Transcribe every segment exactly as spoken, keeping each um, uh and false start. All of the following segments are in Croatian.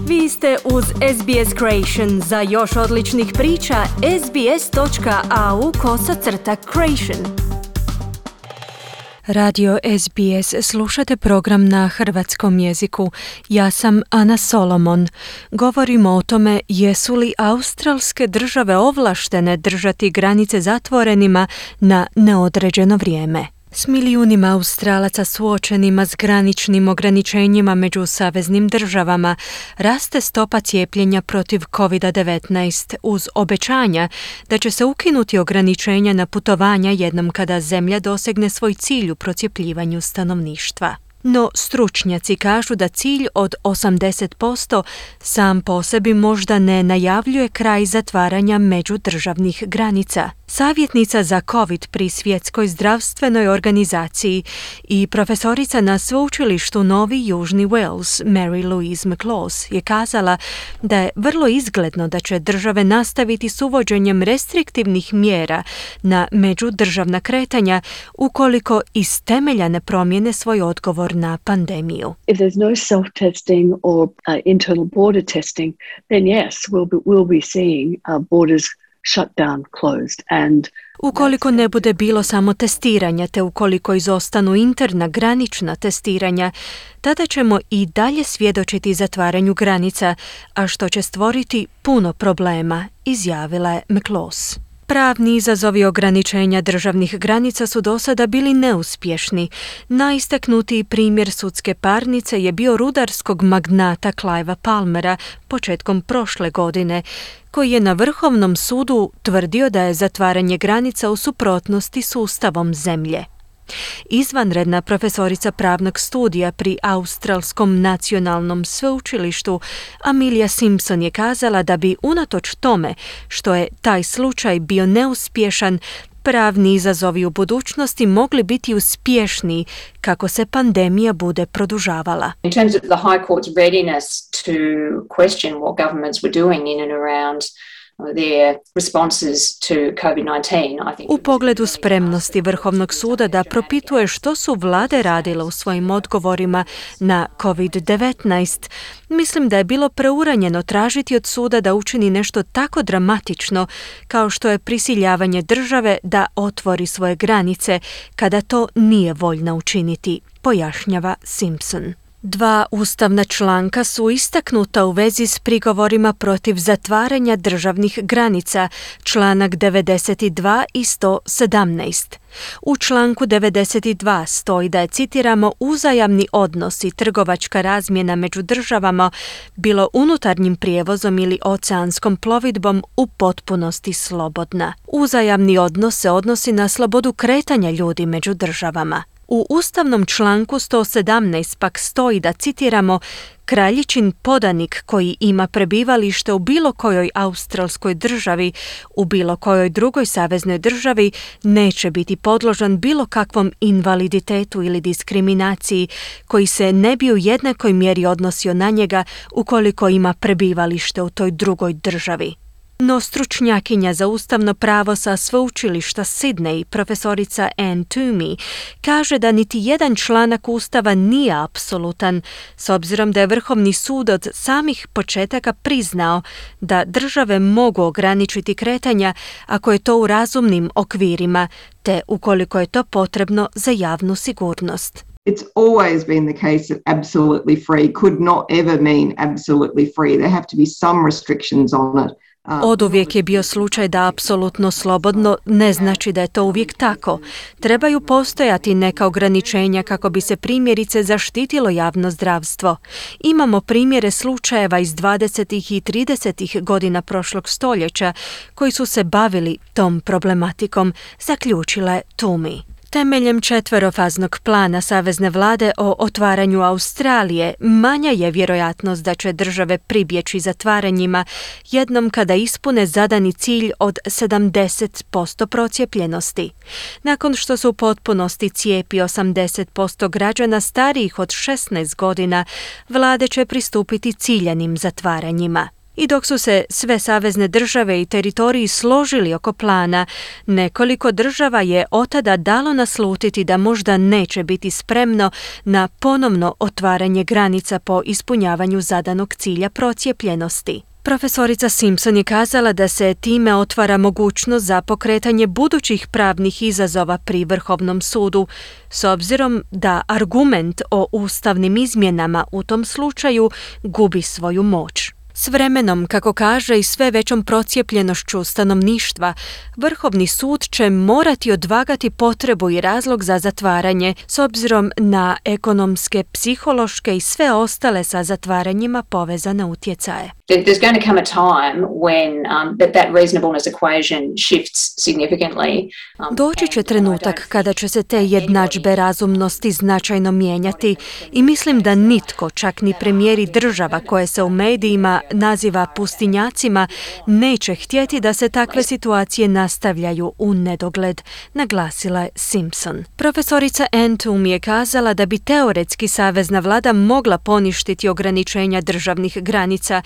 Vi ste uz S B S Creation. Za još odličnih priča, sbs.au kosacrta creation. Radio S B S, slušate program na hrvatskom jeziku. Ja sam Ana Solomon. Govorimo o tome jesu li australske države ovlaštene držati granice zatvorenima na neodređeno vrijeme. S milijunima Australaca suočenima s graničnim ograničenjima među saveznim državama raste stopa cijepljenja protiv covid devetnaest uz obećanja da će se ukinuti ograničenja na putovanja jednom kada zemlja dosegne svoj cilj u procijepljivanju stanovništva. No stručnjaci kažu da cilj od osamdeset posto sam po sebi možda ne najavljuje kraj zatvaranja međudržavnih granica. Savjetnica za COVID pri Svjetskoj zdravstvenoj organizaciji i profesorica na sveučilištu Novi Južni Wales, Mary Louise McLaws, je kazala da je vrlo izgledno da će države nastaviti s uvođenjem restriktivnih mjera na međudržavna kretanja ukoliko iz temelja ne promijene svoj odgovor na pandemiju. If there's no self-testing or uh, internal border testing, then yes, we'll be, we'll be seeing uh, borders shut down, closed. And ukoliko ne bude bilo samo testiranja, te ukoliko izostanu interna granična testiranja, tada ćemo i dalje svjedočiti zatvaranju granica, a što će stvoriti puno problema, izjavila je McLaws. Pravni izazovi ograničenja državnih granica su do sada bili neuspješni. Najistaknutiji primjer sudske parnice je bio rudarskog magnata Clivea Palmera početkom prošle godine, koji je na Vrhovnom sudu tvrdio da je zatvaranje granica u suprotnosti s ustavom zemlje. Izvanredna profesorica pravnog studija pri Australskom nacionalnom sveučilištu Amelia Simpson je kazala da bi unatoč tome što je taj slučaj bio neuspješan, pravni izazovi u budućnosti mogli biti uspješniji kako se pandemija bude produžavala. In terms of the High Court's readiness to question what governments were doing in and around their responses to covid nineteen, I think. U pogledu spremnosti Vrhovnog suda da propituje što su vlade radile u svojim odgovorima na covid devetnaest, mislim da je bilo preuranjeno tražiti od suda da učini nešto tako dramatično kao što je prisiljavanje države da otvori svoje granice kada to nije voljna učiniti, pojašnjava Simpson. Dva ustavna članka su istaknuta u vezi s prigovorima protiv zatvaranja državnih granica, članak devedeset dva i sto sedamnaest. U članku devedeset dva stoji da je, citiramo, uzajamni odnos i trgovačka razmjena među državama, bilo unutarnjim prijevozom ili oceanskom plovidbom, u potpunosti slobodna. Uzajamni odnos se odnosi na slobodu kretanja ljudi među državama. U ustavnom članku sto sedamnaest pak stoji da, citiramo, kraljičin podanik koji ima prebivalište u bilo kojoj australskoj državi, u bilo kojoj drugoj saveznoj državi, neće biti podložan bilo kakvom invaliditetu ili diskriminaciji koji se ne bi u jednakoj mjeri odnosio na njega ukoliko ima prebivalište u toj drugoj državi. No stručnjakinja za ustavno pravo sa sveučilišta Sydney, profesorica Anne Toomey, kaže da niti jedan članak Ustava nije apsolutan, s obzirom da je Vrhovni sud od samih početaka priznao da države mogu ograničiti kretanja ako je to u razumnim okvirima, te ukoliko je to potrebno za javnu sigurnost. It's always been the case that absolutely free could not ever mean absolutely free. There have to be some restrictions on it. Oduvijek je bio slučaj da apsolutno slobodno ne znači da je to uvijek tako. Trebaju postojati neka ograničenja kako bi se primjerice zaštitilo javno zdravstvo. Imamo primjere slučajeva iz dvadesetih i tridesetih godina prošlog stoljeća koji su se bavili tom problematikom, zaključila je Toomey. Temeljem četverofaznog plana savezne vlade o otvaranju Australije, manja je vjerojatnost da će države pribjeći zatvaranjima jednom kada ispune zadani cilj od sedamdeset posto procijepljenosti. Nakon što se u potpunosti cijepi osamdeset posto građana starijih od šesnaest godina, vlade će pristupiti ciljanim zatvaranjima. I dok su se sve savezne države i teritoriji složili oko plana, nekoliko država je otada dalo naslutiti da možda neće biti spremno na ponovno otvaranje granica po ispunjavanju zadanog cilja procijepljenosti. Profesorica Simpson je kazala da se time otvara mogućnost za pokretanje budućih pravnih izazova pri Vrhovnom sudu, s obzirom da argument o ustavnim izmjenama u tom slučaju gubi svoju moć. S vremenom, kako kaže, i sve većom procijepljenošću stanovništva, Vrhovni sud će morati odvagati potrebu i razlog za zatvaranje s obzirom na ekonomske, psihološke i sve ostale sa zatvaranjima povezane utjecaje. There's going to come a time when um, that, that reasonableness equation shifts significantly. Um, Doći će trenutak kada će se te jednadžbe razumnosti značajno mijenjati i mislim da nitko, čak ni premijeri država koje se u medijima naziva pustinjacima, neće htjeti da se takve situacije nastavljaju u nedogled, naglasila je Simpson. Profesorica Ann Toomey je kazala da bi teoretski savezna vlada mogla poništiti ograničenja državnih granica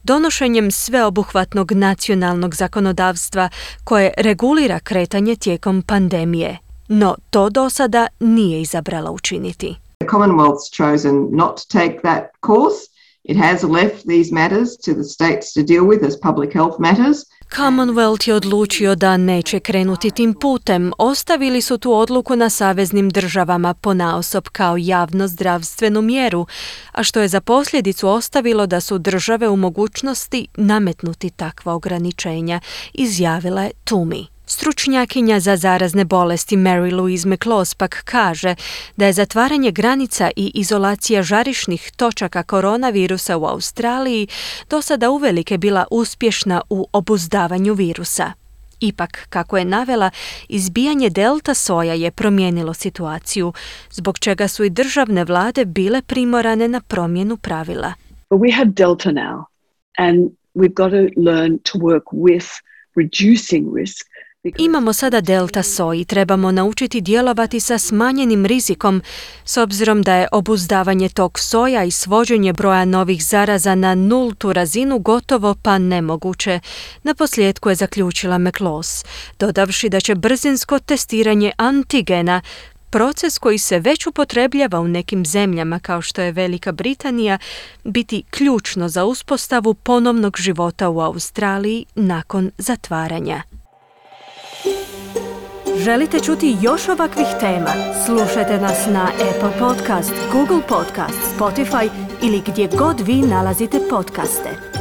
donošenjem sveobuhvatnog nacionalnog zakonodavstva koje regulira kretanje tijekom pandemije. No to do sada nije izabrala učiniti. The Commonwealth's chosen not to take that course. It has left these matters to the states to deal with as public health matters. Commonwealth je odlučio da neće krenuti tim putem. Ostavili su tu odluku na saveznim državama ponaosob kao javno zdravstvenu mjeru, a što je za posljedicu ostavilo da su države u mogućnosti nametnuti takva ograničenja, izjavila je Toomey. Stručnjakinja za zarazne bolesti Mary Louise McLaws pak kaže da je zatvaranje granica i izolacija žarišnih točaka koronavirusa u Australiji do sada uvelike bila uspješna u obuzdavanju virusa. Ipak, kako je navela, izbijanje delta soja je promijenilo situaciju, zbog čega su i državne vlade bile primorane na promjenu pravila. But we have delta now, and we've got to learn to work with reducing risk. Imamo sada delta soj i trebamo naučiti djelovati sa smanjenim rizikom, s obzirom da je obuzdavanje tog soja i svođenje broja novih zaraza na nultu razinu gotovo pa nemoguće. Naposljetku je zaključila McLaws, dodavši da će brzinsko testiranje antigena, proces koji se već upotrebljava u nekim zemljama kao što je Velika Britanija, biti ključno za uspostavu ponovnog života u Australiji nakon zatvaranja. Želite čuti još ovakvih tema? Slušajte nas na Apple Podcast, Google Podcast, Spotify ili gdje god vi nalazite podcaste.